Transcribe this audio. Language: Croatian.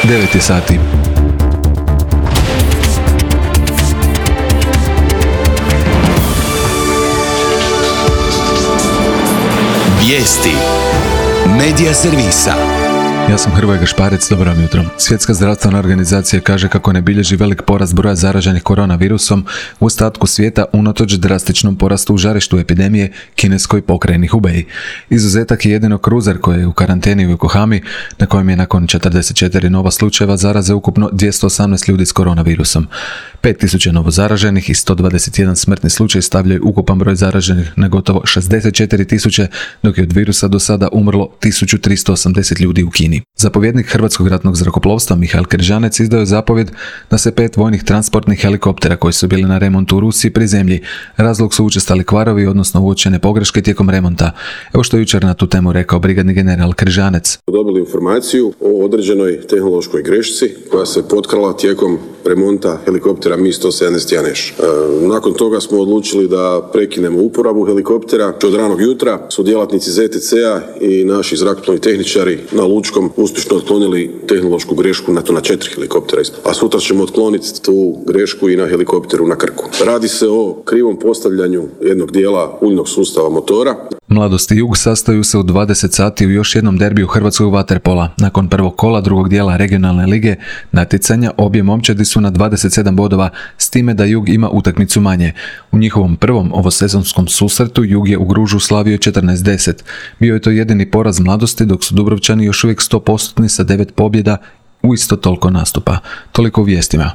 9 je sati. Vijesti Medija servisa. Ja sam Hrvoje Gašparec, dobro vam jutro. Svjetska zdravstvena organizacija kaže kako ne bilježi velik porast broja zaraženih koronavirusom u ostatku svijeta unatoč drastičnom porastu u žarištu epidemije kineskoj pokrajini Hubei. Izuzetak je jedino kruzer koji je u karanteni u Yokohami, na kojem je nakon 44 nova slučajeva zaraze ukupno 218 ljudi s koronavirusom. 5000 novo zaraženih i 121 smrtni slučaj stavljaju ukupan broj zaraženih na gotovo 64.000, dok je od virusa do sada umrlo 1380 ljudi u Kini. Zapovjednik Hrvatskog ratnog zrakoplovstva Mihael Križanec izdao je zapovjed da se 5 vojnih transportnih helikoptera koji su bili na remontu u Rusiji prizemlji. Razlog su učestali kvarovi, odnosno uočene pogreške tijekom remonta. Evo što je jučer na tu temu rekao brigadni general Križanec. Dobili informaciju o određenoj tehnološkoj grešci koja se potkrala tijekom remonta helikoptera Mi-171Š. Nakon toga smo odlučili da prekinemo uporabu helikoptera. Od ranog jutra su djelatnici ZTC-a i naši zrakoplovni tehničari na Lučkom uspješno otklonili tehnološku grešku na 4 helikoptera. A sutra ćemo otkloniti tu grešku i na helikopteru na Krku. Radi se o krivom postavljanju jednog dijela uljnog sustava motora. Mladost i Jug sastaju se u 20 sati u još jednom derbiju hrvatskog vaterpola. Nakon prvog kola drugog dijela regionalne lige natjecanja obje momčadi su na 27 bodova, s time da Jug ima utakmicu manje. U njihovom prvom ovosezonskom susretu Jug je u Gružu slavio 14-10. Bio je to jedini poraz Mladosti, dok su Dubrovčani još uvijek 100% sa 9 pobjeda u isto toliko nastupa. Toliko u vijestima.